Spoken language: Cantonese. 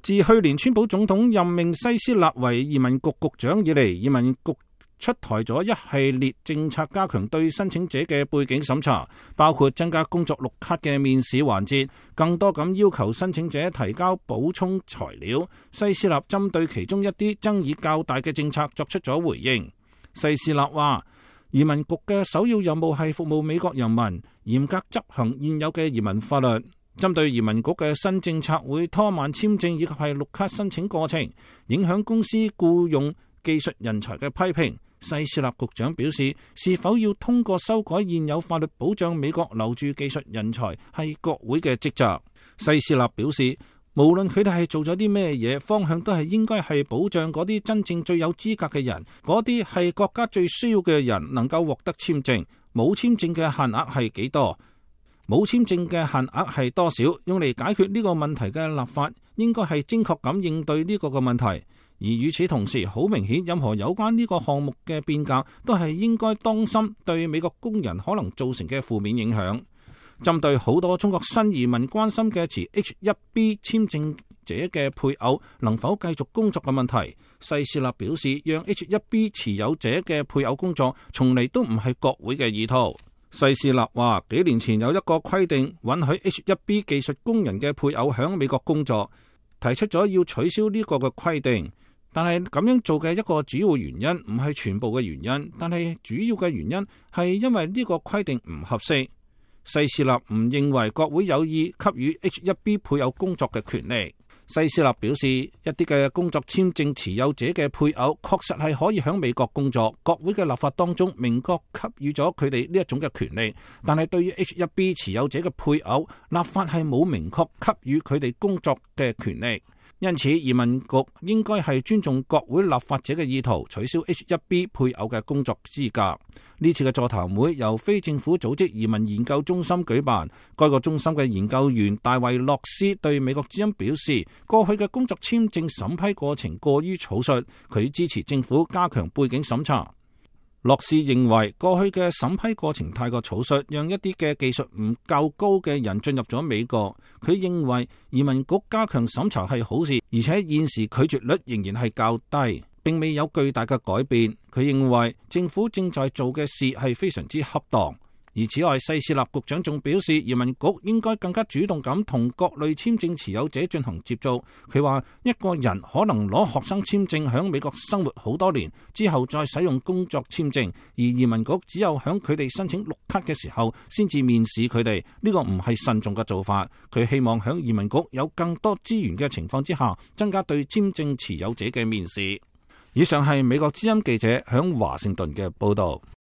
自去年川普總統任命西斯納為移民局局長以嚟，移民局出台咗一系列政策，加強對申請者嘅背景審查，包括增加工作綠卡嘅面試環節，更多咁要求申請者提交補充材料。西斯納針對其中一啲爭議較大嘅政策作出咗回應。西斯納話，移民局嘅首要任務係服務美國人民，嚴格執行現有嘅移民法律。針對移民局嘅新政策會拖慢簽證以及係綠卡申請過程，影響公司僱用技術人才嘅批評，西斯納局長表示，是否要通過修改現有法律保障美國留住技術人才係國會嘅職責。西斯納表示，無論佢哋係做咗啲咩嘢，方向都係應該係保障嗰啲真正最有資格嘅人，嗰啲係國家最需要嘅人能夠獲得簽證。冇簽證嘅限額係幾多？冇簽證嘅限額係多少？用嚟解決呢個問題嘅立法應該係精確咁應對呢個嘅問題。而與此同時，好明顯，任何有關呢個項目嘅變革都係應該當心對美國工人可能造成嘅負面影響。針對好多中國新移民關心嘅持 H1B 簽證者嘅配偶能否繼續工作嘅問題，西斯納表示，讓 H1B 持有者嘅配偶工作從嚟都唔係國會嘅意圖。西斯納話，幾年前有一個規定允許 H1B 技術工人嘅配偶喺美國工作，提出咗要取消呢個嘅規定。但係咁樣做嘅一個主要原因唔係全部嘅原因，但係主要嘅原因係因為呢個規定唔合適。西斯納唔認為國會有意給予 H1B 配偶工作嘅權利。西斯納表示，一啲嘅工作簽證持有者嘅配偶確實係可以喺美國工作，國會嘅立法當中明確給予咗佢哋呢一種嘅權利。但係對於 H1B 持有者嘅配偶，立法係冇明確給予佢哋工作嘅權利。因此，移民局應該係尊重國會立法者嘅意圖，取消 H1B 配偶嘅工作資格。呢次嘅座談會由非政府組織移民研究中心舉辦，該個中心嘅研究員大衛洛斯對美國之音表示，過去嘅工作簽證審批過程過於草率，佢支持政府加強背景審查。洛斯認為過去嘅審批過程太過草率，讓一啲嘅技術唔夠高嘅人進入咗美國。佢認為移民局加強審查係好事，而且現時拒絕率仍然係較低，並未有巨大嘅改變。佢認為政府正在做嘅事係非常之恰當。而此外，西斯納局長仲表示，移民局應該更加主動咁同各類簽證持有者進行接觸。佢話，一個人可能攞學生簽證喺美國生活好多年之後再使用工作簽證，而移民局只有喺佢哋申請綠卡嘅時候先至面試佢哋。呢個唔係慎重嘅做法。佢希望喺移民局有更多資源嘅情況之下，增加對簽證持有者嘅面試。以上係美國之音記者喺華盛頓嘅報道。